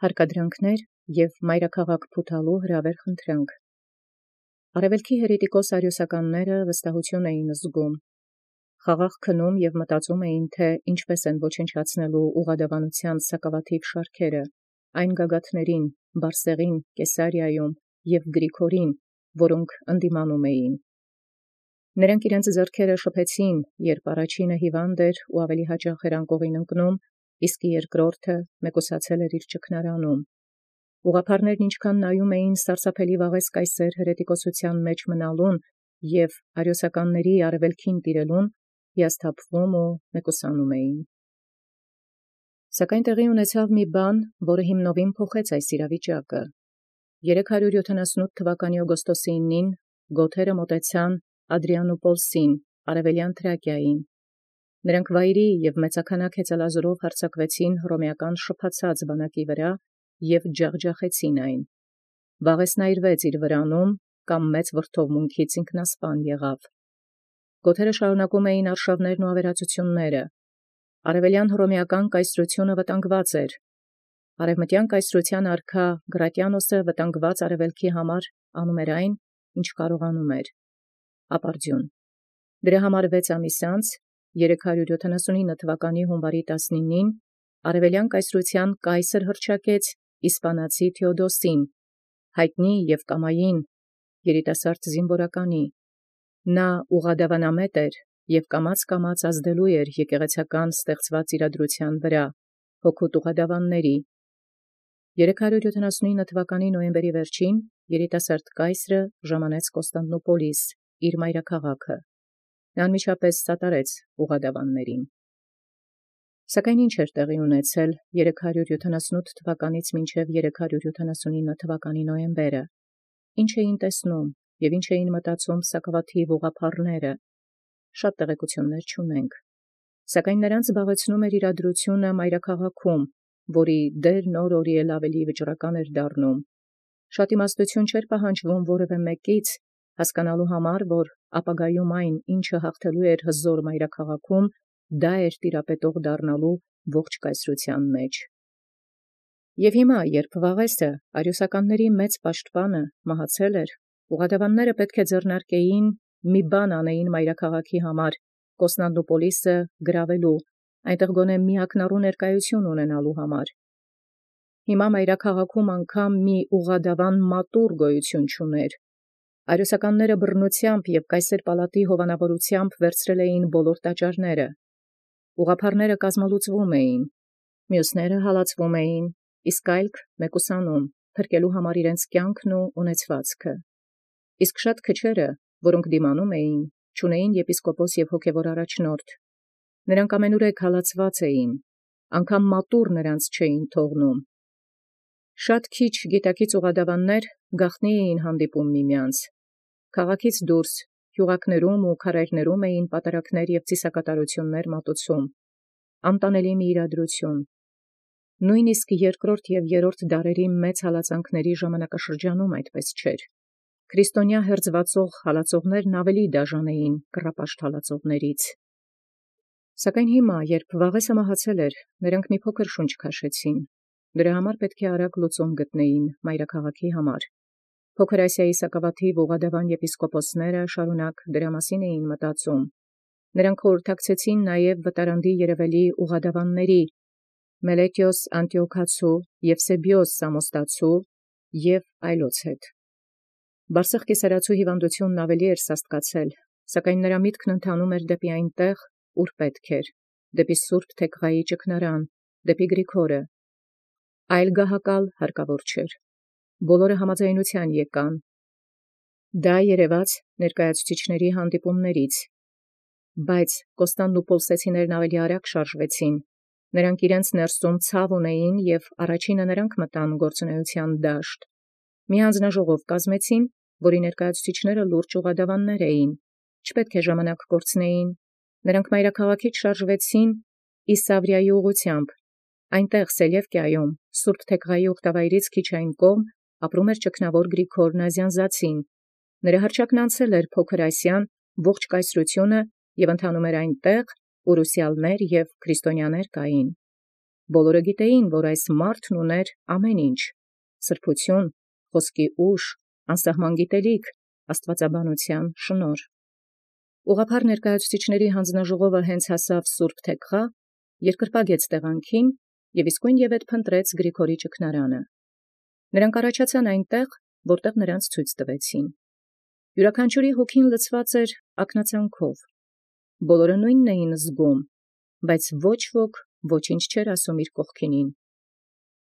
Հարկադրանքներ և մայրաքաղաք փութալու հրավեր խնդրանք։ Արևելքի հերետիկոս արիոսականները վստահություն էին զգում։ Խաղաղ քնում և մտածում էին, թե ինչպես են ոչնչացնելու ուղղադավանության սակավաթիվ շարքերը, այն գագաթներին, Բարսեղին, Կեսարիայում և Գրիգորին, որոնք ընդդիմանում էին։ Նրանք իրենց ձեռքերը շփեցին, երբ առաջինը հիվանդ էր ու ավելի հաճախ էր անկողին ընկնում, իսկ երկրորդը մեկուսացել էր իր ճգնարանում։ Ուղղափառներն ինչքան նայում էին սարսափելի վաղես կայսեր հրետիկոսության մեջ մնալուն և արիոսականների արևելքին տիրելուն, հիասթափվում ու մեկուսանում էին։ Սակայն տեղի ունեցավ մի բան, որը հիմնովին փոխեց այս իրավիճակը։ 378 թվականի օգոստոսի 9-ին գոթերը մոտեցան Ադրիանոպոլսին, արևելյան Թրակիային։ Նրանք վայրի և մեծաքանակ հեծելազորով հարձակվեցին հռոմեական շփացած բանակի վրա և ջախջախեցին այն։ Վաղեսն այրվեց իր վրանում կամ մեծ վրդովմունքից ինքնասպան եղավ։ Գոթերը շարունակում էին արշավներն ու ավերածությունները։ Արևելյան հռոմեական կայսրությունը վտանգված էր։ Արևմտյան կայսրության արքա Գրատիանոսը վտանգված արևելքի համար անում էր այն, ինչ կարողանում էր։ Ապարդյուն։ Դրա համար 6 ամիս անց, 379 թվականի հունվարի 19-ին, արևելյան կայսրության կայսր հռչակեց իսպանացի Թեոդոսին, հայտնի և կամային երիտասարդ զինվորականի։ Նա ուղղադավանամետ էր և կամաց ազդելու էր եկեղեցական ստեղծված իրադրության վրա, հոգուտ ուղղադավանների։ 379 թվականի նոյեմբերի վերջին երիտասարդ կայսրը ժամանեց Կոստանդնուպոլիս, իր մայրաքաղաքը։ Նա անմիջապես սատարեց ուղղադավաններին։ Սակայն ինչ էր տեղի ունեցել 378 թվականից մինչև 379 թվականի նոյեմբերը։ Ինչ էին տեսնում և ինչ էին մտածում սակավաթիվ ուղղափառները։ Շատ տեղեկություններ չունենք։ Սակայն նրանց զբաղեցնում էր իրադրությունը մայրաքաղաքում, որի դերն օր էլ ավելի վճռական էր դառնում։ Շատ իմաստություն չէր պահանջվում որևէ մեկից հասկանալու համար, որ ապագայում այն, ինչը հաղթելու էր հզոր մայրաքաղաքում, դա էր տիրապետող դառնալու ողջ կայսրության մեջ։ Եվ հիմա, երբ Վաղեսը, արիոսականների մեծ պաշտպանը, մահացել էր, ուղղադավանները պետք է ձեռնարկեին մի բան անեին մայրաքաղաքի համար, Կոստանդնուպոլիսը գրավելու, այնտեղ գոնե մի ակնառու ներկայություն ունենալու համար։ Հիմա մայրաքաղաքում անգամ մի ուղղադավան մատուռ գոյություն չուներ։ Արիոսականները բռնությամբ և կայսեր պալատի հովանավորությամբ վերցրել էին բոլոր տաճարները։ Ուղղափառները կազմալուծվում էին, մյուսները հալածվում էին, իսկ այլք մեկուսանում, փրկելու համար իրենց կյանքն ու ունեցվածքը։ Իսկ շատ քչերը, որոնք դիմանում էին, չունեին եպիսկոպոս և հոգևոր առաջնորդ։ Նրանք ամենուրեք հալածված էին, անգամ մատուռ նրանց չէին թողնում։ Շատ քիչ գիտակից ուղղադավաններ գաղտնի էին հանդիպում միմյանց։ Քաղաքից դուրս գյուղակներում ու քարայրներում էին պատարակներ և ծիսակատարություններ մատուցում։ Անտանելի մի իրադրություն։ Նույնիսկ երկրորդ և երրորդ դարերի մեծ հալածանքների ժամանակաշրջանում այդպես չէր։ Քրիստոնյա հերձվածող հալածողներն ավելի դաժան էին կռապաշտ հալածողներից։ Սակայն հիմա, երբ Վաղեսը մահացել էր, նրանք մի փոքր շունչ քաշեցին։ Դրա համար պետք է արագ լուծում գտնեին մայրաքաղաքի համար։ Փոքր Ասիայի սակավաթիվ ուղղադավան եպիսկոպոսները շարունակ դրա մասին էին մտածում։ Նրանք խորհրդակցեցին նաև վտարանդի երևելի ուղղադավանների Մելետիոս Անտիոքացու, Եվսեբիոս Սամոստացու և այլոց հետ։ Բարսեղ կեսարացու հիվանդությունն ավելի էր սաստկացել, սակայն նրա միտքն ընթանում էր դեպի այնտեղ, ուր պետք էր, դեպի Սուրբ Թեքղայի ճգնարան, դեպի Գրիգորը։ Այլ գահակալ հարկավոր չէր։ Բոլորը համաձայնության եկան։ Դա երևաց ներկայացուցիչների հանդիպումներից։ Բայց Կոստանդնուպոլսեցիներն ավելի արագ շարժվեցին։ Նրանք իրենց ներսում ցավ ունեին և առաջինը նրանք մտան գործունեության դաշտ։ Մի հանձնաժողով կազմեցին, որի ներկայացուցիչները լուրջ ուղղադավաններ էին։ Չպետք է ժամանակ կորցնեին։ Նրանք մայրաքաղաքից շարժվեցին Իսավրիայի ուղղությամբ։ Այնտեղ Սելևկիայում, Սուրբ Թեքղայի ուխտավայրից քիչ այն կողմ, ապրում էր ճգնավոր Գրիգոր Նազյանզացին։ Նրա հռչակն անցել էր Փոքր Ասիան ողջ կայսրությունը և ընթանում էր այնտեղ, ուր ուսյալներ և քրիստոնյաներ կային։ Բոլորը գիտեին, որ այս մարդն ուներ ամեն ինչ. սրբություն, խոսքի ուժ, անսահման գիտելիք, աստվածաբանության շնորհ։ Ուղղափառ ներկայացուցիչների հանձնաժողովը հենց հասավ Սուրբ Թեքղա, երկրպագեց տեղանքին և իսկույն ևեթ փնտրեց Գրիգորի ճգնարանը։ Նրանք առաջացան այնտեղ, որտեղ նրանց ցույց տվեցին։ Յուրաքանչյուրի հոգին լցված էր ակնածանքով։ Բոլորը նույնն էին զգում, բայց ոչ ոք ոչինչ չէր ասում իր կողքինին։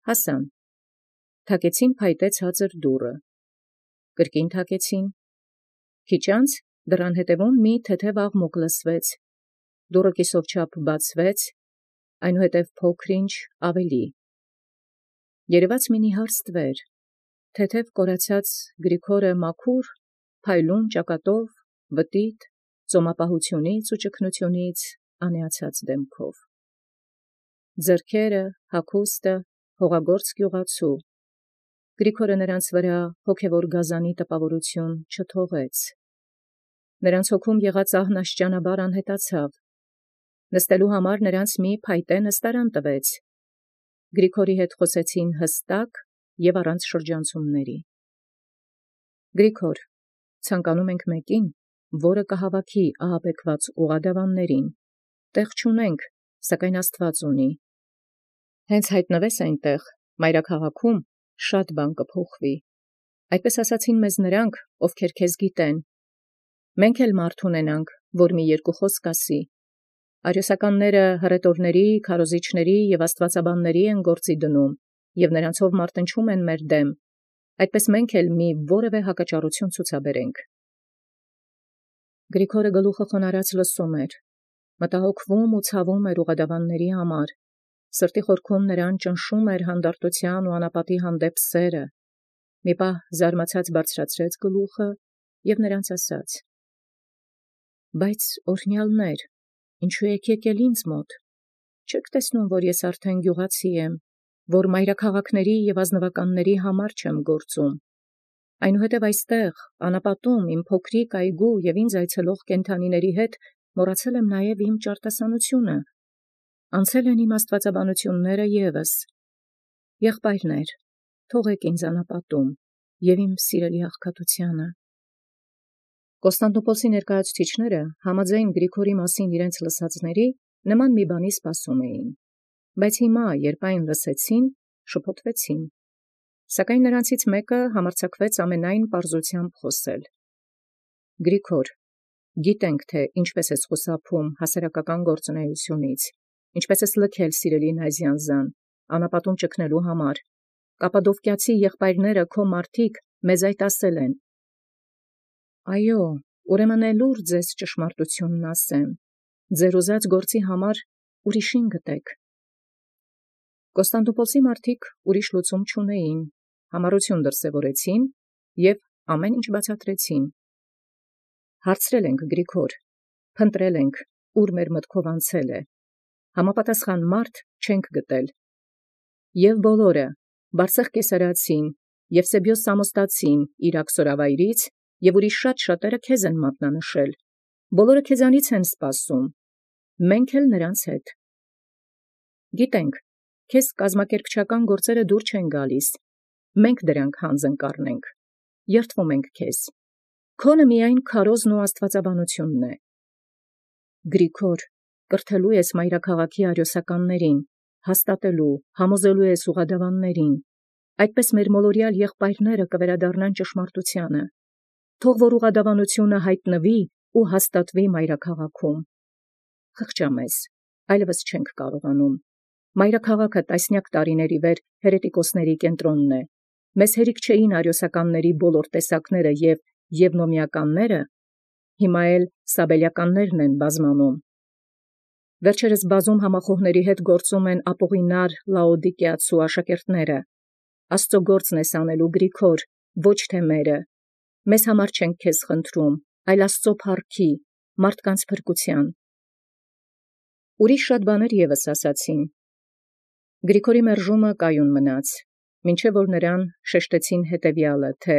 Հասան, թակեցին փայտե ցածր դուռը, կրկին թակեցին։ Քիչ անց դռան հետևում մի թեթև աղմուկ լսվեց, դուռը կիսով չափ բացվեց, այնուհետև փոքր-ինչ ավելի։ Երևաց մի նիհար ստվեր, թեթև կորացած Գրիգորը մաքուր, փայլուն ճակատով, վտիտ, ծոմապահությունից ու ճկնությունից անեացած դեմքով։ Ձեռքերը, հագուստը, հողագործ գյուղացու։ Գրիգորը նրանց վրա հոգևոր գազանի տպավորություն չթողեց։ Նրանց հոգում եղած ահն աշճանաբար անհետացավ։ Նստելու համար նրանց մի փայտե նստարան տվեց։ Գրիգորի հետ խոսեցին հստակ և առանց շրջանցումների։ Գրիգոր, ցանկանում ենք մեկին, որը կհավաքի ահաբեկված ուղղադավաններին։ Տեղ չունենք, սակայն Աստված ունի։ Հենց հայտնվես այնտեղ, մայրաքաղաքում, շատ բան կփոխվի։ Այդպես ասացին մեզ նրանք, ովքեր քեզ գիտեն։ Մենք էլ մարդ ունենանք, որ մի երկու խոսք ասի։ Արիոսականները հռետորների, քարոզիչների և աստվածաբանների են գործի դնում, և նրանցով մարտնչում են մեր դեմ, այդպես մենք էլ մի որևէ հակաճառություն ցուցաբերենք։ Գրիգորը գլուխը խոնարհած լսում էր, մտահոգվում ու ցավում էր ուղղադավանների համար, սրտի խորքում նրան ճնշում էր հանդարտության ու անապատի հանդեպ սերը։ Մի պահ զարմացած բարձրացրեց գլուխը և նրանց ասաց. «Բայց օրհնյալներ, ինչու եք եկել ինձ մոտ, չեք տեսնում, որ ես արդեն գյուղացի եմ, որ մայրաքաղաքների և ազնվականների համար չեմ գործում, այնուհետև այստեղ, անապատում, իմ փոքրիկ այգու և ինձ այցելող կենդանիների հետ մոռացել եմ նաև իմ ճարտասանությունը, անցել են իմ աստվածաբանությունները ևս։ Եղբայրներ, թողեք ինձ անապատում և իմ սիրելի աղքատությանը»։ Կոստանդնուպոլսի ներկայացուցիչները համաձայն Գրիգորի մասին իրենց լսածների նման մի բանի սպասում էին, բայց հիմա, երբ այն լսեցին, շփոթվեցին։ Սակայն նրանցից մեկը համարձակվեց ամենայն պարզությամբ խոսել. «Գրիգոր, գիտենք, թե ինչպես ես խուսափում հասարակական գործունեությունից, ինչպես ես լքել սիրելի Նազյանզան, անապատում ճգնելու համար։ Կապադովկիացի եղբայրները քո մարդիկ մեզ այդ ասել են։ Այո, ուրեմն էլուր ձեզ ճշմարտությունն ասեմ, ձեր ուզած գործի համար ուրիշին գտեք։ Կոստանդնուպոլսի մարդիկ ուրիշ լուծում չունեին, համառություն դրսևորեցին և ամեն ինչ բացատրեցին։ Հարցրել ենք Գրիգոր, փնտրել ենք, ուր մեր մտքով անցել է, համապատասխան մարդ չենք գտել։ Եվ բոլորը, Բարսեղ կեսարացին, Եվսեբիոս Սամոստացին իր աքսորավայրից և ուրիշ շատ-շատերը քեզ են մատնանշել, բոլորը քեզանից են սպասում, մենք էլ նրանց հետ։ Գիտենք, քեզ կազմակերպչական գործերը դուր չեն գալիս, մենք դրանք հանձն կառնենք, երդվում ենք քեզ, քոնը միայն քարոզն ու աստվածաբանությունն է։ Գրիգոր, կրթելու ես մայրաքաղաքի արիոսականներին, հաստատելու, համոզելու ես ուղղադավաններին, այդպես մեր մոլորյալ եղբայրները կվերադառնան ճշմարտությանը, թող որ ուղղադավանությունը հայտնվի ու հաստատվի մայրաքաղաքում։ Խղճամեզ, այլևս չենք կարողանում։ Մայրաքաղաքը տասնյակ տարիների վեր հերետիկոսների կենտրոնն է։ Մեզ հերիք չէին արիոսականների բոլոր տեսակները և եվնոմիականները, հիմա էլ սաբելյաններն են բազմանում։ Վերջերս բազում համախոհների հետ գործում են ապօղինար Լաոդիկիացու աշակերտները։ Աստծո գործն ես անելու, Գրիգոր, ոչ թե մերը։ Մեզ համար չենք քեզ խնդրում, այլ Աստծո փառքի, մարդկանց փրկության։ Ուրիշ շատ բաներ ևս ասացին։ Գրիգորի մերժումը կայուն մնաց, մինչև որ նրան շեշտեցին հետևյալը, թե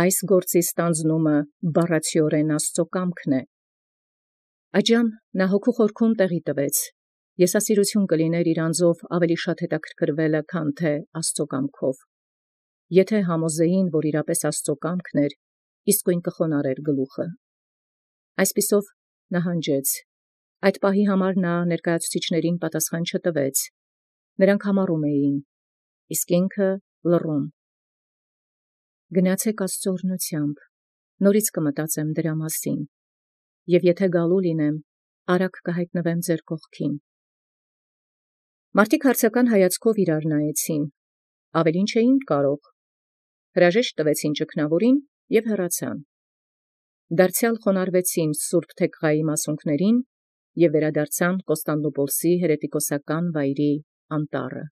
այս գործի ստանձնումը բառացիորեն Աստծո կամքն է։ Այդժամ նա հոգու խորքում տեղի տվեց Եսասիրություն կլիներ իրանձով ավելի շատ հետաքրքրելը, քան թե Աստծո կամքով։ Եթե համոզեին, որ իրապես Աստծո կամքն էր, իսկույն կխոնարհեր գլուխը։ Այսպիսով նահանջեց։ Այդ պահի համար նա ներկայացուցիչներին պատասխան չտվեց։ Նրանք համառում էին, իսկ ինքը լռում։ Գնացեք Աստծո օրհնությամբ, նորից կմտածեմ դրա մասին, և եթե գալու լինեմ, արագ կհայտնվեմ ձեր կողքին։ Մարդիկ հարցական հայացքով իրար նայեցին, ավելին չէին կարող, հրաժեշտ տվեցին ճգնավորին և հեռացան։ Դարձյալ խոնարհվեցին սուրբ Թեքղայի մասունքներին և վերադարձան Կոստանդնուպոլսի հերետիկոսական վայրի անտառը։